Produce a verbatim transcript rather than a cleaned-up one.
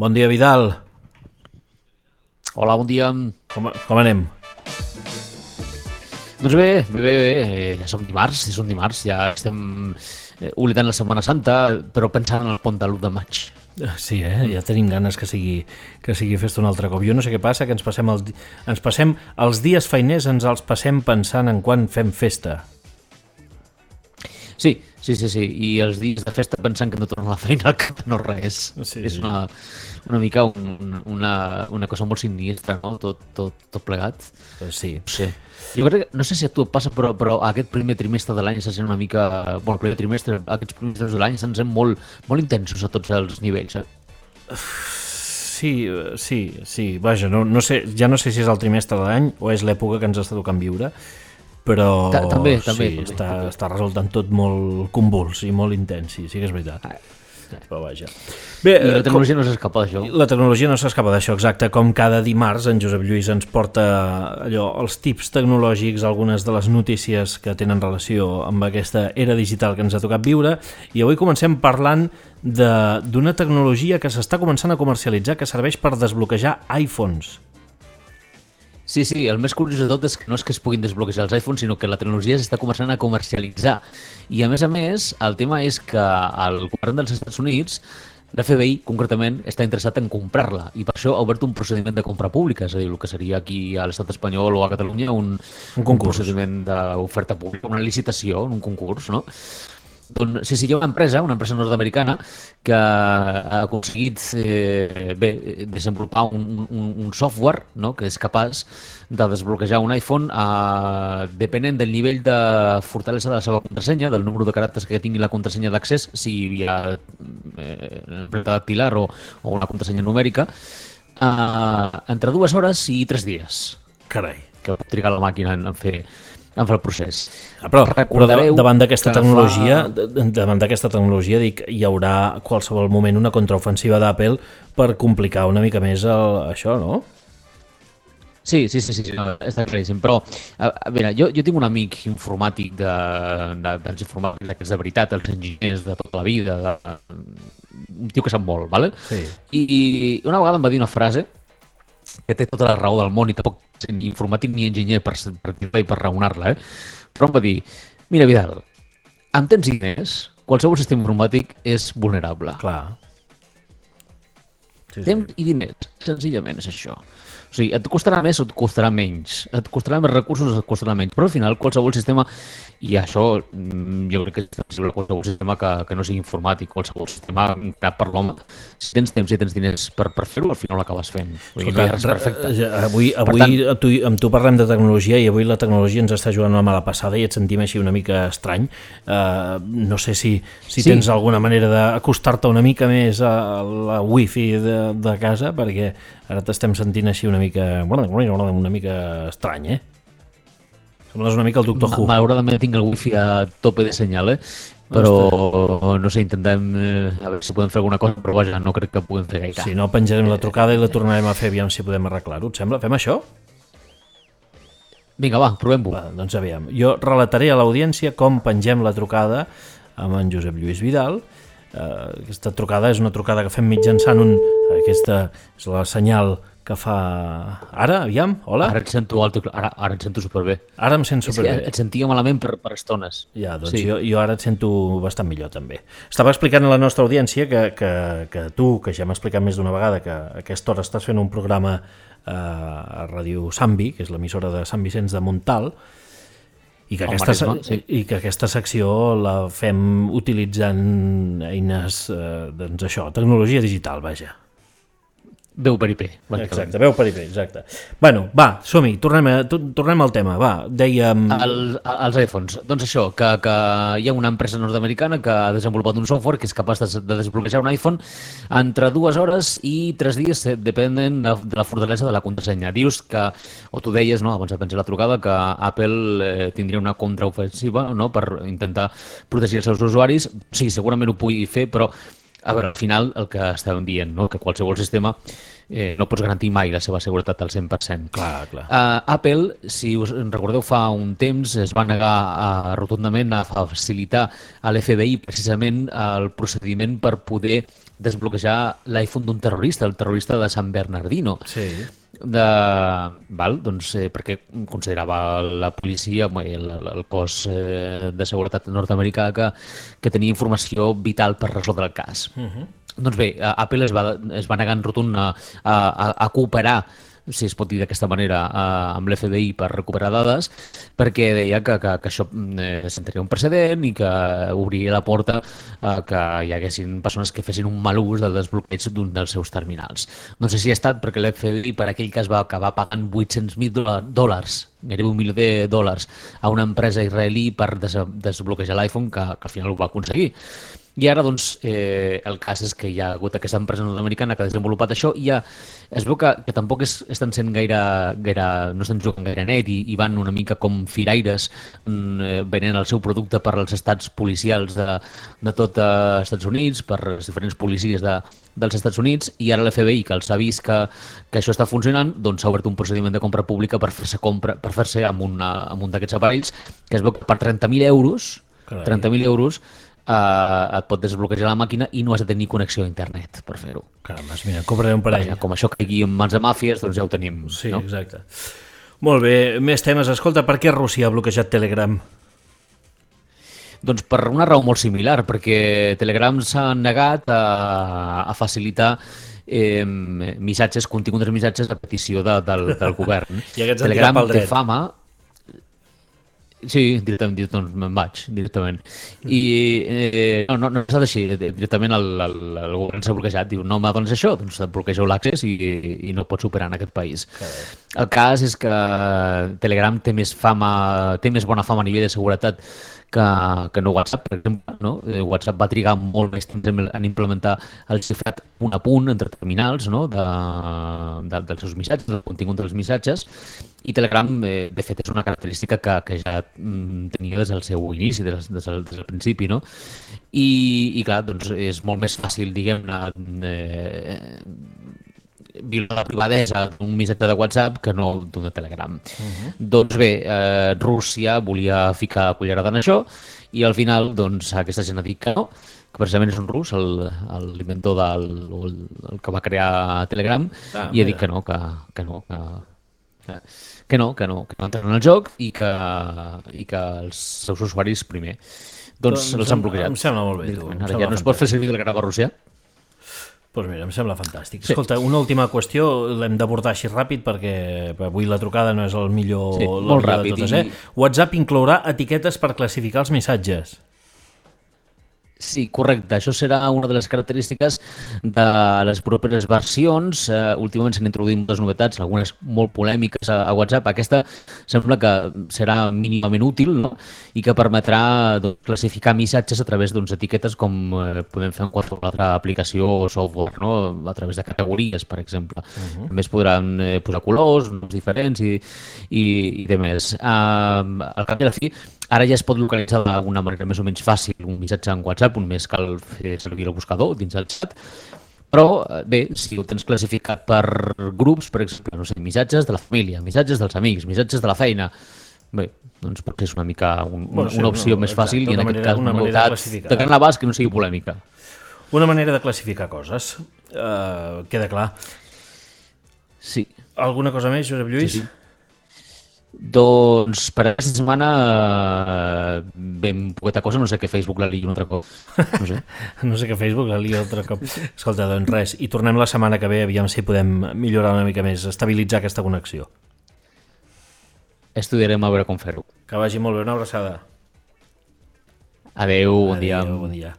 Bon dia, Vidal. Hola, bon dia. Com, com anem? Doncs bé, bé, bé, bé. Ja som dimarts, ja som dimarts, ja estem eh, oblidant la Setmana Santa, però pensant en el pont de l'u de maig. Sí, eh? Ja tenim ganes que sigui, que sigui festa un altre cop. Jo no sé què passa, que ens passem, el, ens passem els dies feiners, ens els passem pensant en quan fem festa. Sí, sí, sí, sí. I els dies de festa pensant que no torna a la feina al cap no res. Sí, és sí. una, una mica un, una, una cosa molt sinistra, no? Tot, tot, tot plegat. Sí. No sé. Jo crec que, no sé si a tu et passa, però, però aquest primer trimestre de l'any se sent una mica... Bueno, el primer trimestre, aquests primers trimestres de l'any se'n sent molt, molt intensos a tots els nivells, eh? Sí, sí, sí. Vaja, no, no sé, ja no sé si és el trimestre de l'any o és l'època que ens està tocant viure, però Ta- també, sí, també, també, està, també. està resultant tot molt convuls i molt intens, sí, sí que és veritat. Ah, Però vaja. Bé, I la eh, tecnologia no s'escapa d'això. La tecnologia no s'escapa d'això, exacte, com cada dimarts en Josep Lluís ens porta allò, els tips tecnològics, algunes de les notícies que tenen relació amb aquesta era digital que ens ha tocat viure, i avui comencem parlant de- d'una tecnologia que s'està començant a comercialitzar que serveix per desbloquejar iPhones. Sí, sí, el més curiós de tot és que no és que es puguin desbloquejar els iPhones, sinó que la tecnologia s'està començant a comercialitzar. I a més a més, el tema és que el govern dels Estats Units, l'F B I concretament, està interessat en comprar-la i per això ha obert un procediment de compra pública, és a dir, el que seria aquí a l'estat espanyol o a Catalunya un, Un concurs. un procediment d'oferta pública, una licitació, un concurs, no? Doncs, sí, sí, hi ha una empresa, una empresa nord-americana que ha aconseguit eh, bé, desenvolupar un, un, un software, no?, que és capaç de desbloquejar un iPhone eh, depenent del nivell de fortalesa de la seva contrasenya, del número de caràcters que tingui la contrasenya d'accés, si hi ha eh, empremta dactilar o, o una contrasenya numèrica, eh, entre dues hores i tres dies, Carai. que pot trigar la màquina en, en fer en fer el procés. Ah, però, però Recordareu davant d'aquesta que tecnologia, fa- fa... davant d'aquesta tecnologia, dic, hi haurà a qualsevol moment una contraofensiva d'Apple per complicar una mica més el, això, no? Sí, sí, sí, sí, sí, no, està claríssim, però a, a veure, jo, jo tinc un amic informàtic de, de, dels informàtics d'aquests de veritat, els enginyers de tota la vida, de, un tio que sap molt, ¿vale? Sí. I, i una vegada em va dir una frase que té tota la raó del món i tampoc sent ni informàtic ni enginyer per, per dir-la i per raonar-la, eh? Però em va dir, mira Vidal, amb temps i diners, qualsevol sistema informàtic és vulnerable. Clar. Sí, sí. Temps i diners, senzillament és això. O sigui, et costarà més o et costarà menys, et costarà més recursos o et costarà menys, però al final qualsevol sistema, i això mm, jo crec que és possible, qualsevol sistema que, que no sigui informàtic, qualsevol sistema creat per l'home, si tens temps i tens diners per, per fer-ho, al final l'acabes fent. Vull dir, no hi ha res perfecte. eh, avui, Per avui tant- tant... tu, amb tu parlem de tecnologia i avui la tecnologia ens està jugant una mala passada i et sentim així una mica estrany. Uh, no sé si, si Sí. tens alguna manera d'acostar-te una mica més a la wifi de, de casa, perquè ara t'estem sentint així una mica una mica estrany, eh? Sembles una mica el doctor Who. Malauradament tinc el wifi a tope de senyal, eh? Però no sé, intentem eh, a veure si podem fer alguna cosa, però vaja, no crec que puguem fer gaire. Si no, penjarem la trucada i la tornarem a fer, aviam si podem arreglar-ho. Et sembla? Fem això? Vinga, va, provem-ho. Va, doncs aviam. Jo relataré a l'audiència com pengem la trucada amb en Josep Lluís Vidal. Uh, aquesta trucada és una trucada que fem mitjançant un... Aquesta és la senyal que fa... Ara, aviam, hola? Ara et sento alto, ara, ara et sento superbé. Ara em sento És que superbé. et sentia malament per, per estones. Ja, doncs Sí. jo, jo ara et sento bastant millor també. Estava explicant a la nostra audiència que, que, que tu, que ja m'ha explicat més d'una vegada que a aquesta hora estàs fent un programa eh, a Ràdio Sambi, que és l'emissora de Sant Vicenç de Montal, i que, Al aquesta, Maresme, sí. i que aquesta secció la fem utilitzant eines, eh, doncs això, tecnologia digital, vaja. Veu per I P. Exacte, veu per I P, exacte. Bueno, va, som-hi, tornem, a, to- tornem al tema, va, dèiem... El, els iPhones. Doncs això, que, que hi ha una empresa nord-americana que ha desenvolupat un software que és capaç de, de desbloquejar un iPhone entre dues hores i tres dies, eh, depenent de, de la fortalesa de la contrasenya. Dius que, o tu deies, no, abans de penjar la trucada, que Apple eh, tindria una contraofensiva, no?, per intentar protegir els seus usuaris. Sí, segurament ho pugui fer, però a veure, al final el que estàvem dient, no?, que qualsevol sistema eh, no pots garantir mai la seva seguretat al cent per cent. Clar, clar. Uh, Apple, si us en recordeu, fa un temps es va negar uh, rotundament a facilitar a l'F B I precisament el procediment per poder desbloquejar l'iPhone d'un terrorista, el terrorista de San Bernardino. Sí. De, val, doncs, eh, perquè considerava la policia, el, el cos eh, de seguretat nord-americà que, que tenia informació vital per resoldre el cas. Uh-huh. Doncs bé, Apple es va, es va negar en rotund a, a, a cooperar, si es pot dir d'aquesta manera, eh, amb l'F B I per recuperar dades, perquè deia que, que, que això eh, sentaria un precedent i que obria la porta a que hi haguessin persones que fessin un mal ús del desbloqueig d'un dels seus terminals. No sé si ha estat perquè l'F B I per aquell cas va acabar pagant vuit-cents mil dòlars, gairebé un milió de dòlars, a una empresa israelí per des desbloquejar l'iPhone, que, que al final ho va aconseguir. I ara, doncs, eh, el cas és que hi ha hagut aquesta empresa nord-americana que ha desenvolupat això i ja es veu que, que tampoc és, estan sent gaire, gaire, no estan jugant gaire net i, i van una mica com firaires mm, venent el seu producte per als estats policials de, de tot els Estats Units, per les diferents policies de, dels Estats Units, i ara l'F B I, que els ha vist que, que això està funcionant, doncs s'ha obert un procediment de compra pública per fer-se compra, per fer-se amb, una, amb un d'aquests aparells, que es veu que per trenta mil euros, Carai. trenta mil euros, Uh, et pot desbloquejar la màquina i no has de tenir connexió a internet per fer-ho. Caramba, mira, compraré un parell. Vaja, com això caigui en mans de màfies, doncs ja ho tenim. Sí, no? Exacte. Molt bé, més temes. Escolta, per què Rússia ha bloquejat Telegram? Doncs per una raó molt similar, perquè Telegram s'ha negat a, a facilitar eh, missatges, continguts de missatges a petició de, del, del govern. I aquests Telegram pel dret. té fama. Sí, directament, directament me'n vaig, directament. I eh, no, no, no ha estat així, directament el, el, el govern s'ha bloquejat, diu, no m'adones això, doncs et bloquegeu l'accés i, i no pots operar en aquest país. Carai. El cas és que Telegram té més fama, té més bona fama a nivell de seguretat que, que no WhatsApp, per exemple. No? WhatsApp va trigar molt més temps en implementar el xifrat punt a punt entre terminals, no? de, de, dels seus missatges, del contingut dels missatges, i Telegram, eh, de fet, és una característica que, que ja mm, tenia des del seu inici, des, des, del, des del principi, no? I, i clar, doncs és molt més fàcil, diguem-ne, eh, violar la privadesa d'un missatge de WhatsApp que no d'un de Telegram. Uh-huh. Doncs bé, eh, Rússia volia ficar cullerada en això i al final, doncs, aquesta gent ha dit que no, que precisament és un rus, l'inventor del el, el que va crear Telegram, ah, i ha dit que no, que, que no, que, que, que no, que no, que no entren en el joc i que, i que els seus usuaris primer. Doncs, doncs els han bloquejat. Em sembla molt bé, tu. Ara ja no es pot fer servir Telegram a Rússia. Doncs pues mira, em sembla fantàstic. Sí. Escolta, una última qüestió, l'hem d'abordar així ràpid perquè avui la trucada no és el millor, sí, el molt millor ràpid, de totes. Eh? I... WhatsApp inclourà etiquetes per classificar els missatges. Sí, correcte. Això serà una de les característiques de les properes versions. Uh, últimament s'han introduït moltes novetats, algunes molt polèmiques a, a WhatsApp. Aquesta sembla que serà mínimament útil, no? I que permetrà doncs, classificar missatges a través d'unes etiquetes com eh, podem fer en qualsevol altra aplicació o software, no? A través de categories, per exemple. Uh-huh. També es podran eh, posar colors, noms diferents i, i, i de més. Uh, al cap i a la fi, ara ja es pot localitzar d'una manera més o menys fàcil un missatge en WhatsApp, només cal fer servir el buscador dins el xat. Però, bé, si ho tens classificat per grups, per exemple, no sé, missatges de la família, missatges dels amics, missatges de la feina, bé, doncs potser és una mica un, bueno, sí, una opció no, més fàcil exacte, i en manera, aquest cas una novetat de, de gran abast que no sigui polèmica. Una manera de classificar coses. Uh, queda clar. Sí. Alguna cosa més, Josep Lluís? Sí, sí. Doncs per aquesta setmana eh, ben poqueta cosa, no sé que Facebook la liï un altre cop. No sé. No sé que Facebook la liï un altre cop. Escolta, doncs res, i tornem la setmana que ve, aviam si podem millorar una mica més, estabilitzar aquesta connexió. Estudiarem a veure com fer-ho. Que vagi molt bé, una abraçada. Adéu, bon dia. Adéu, bon dia.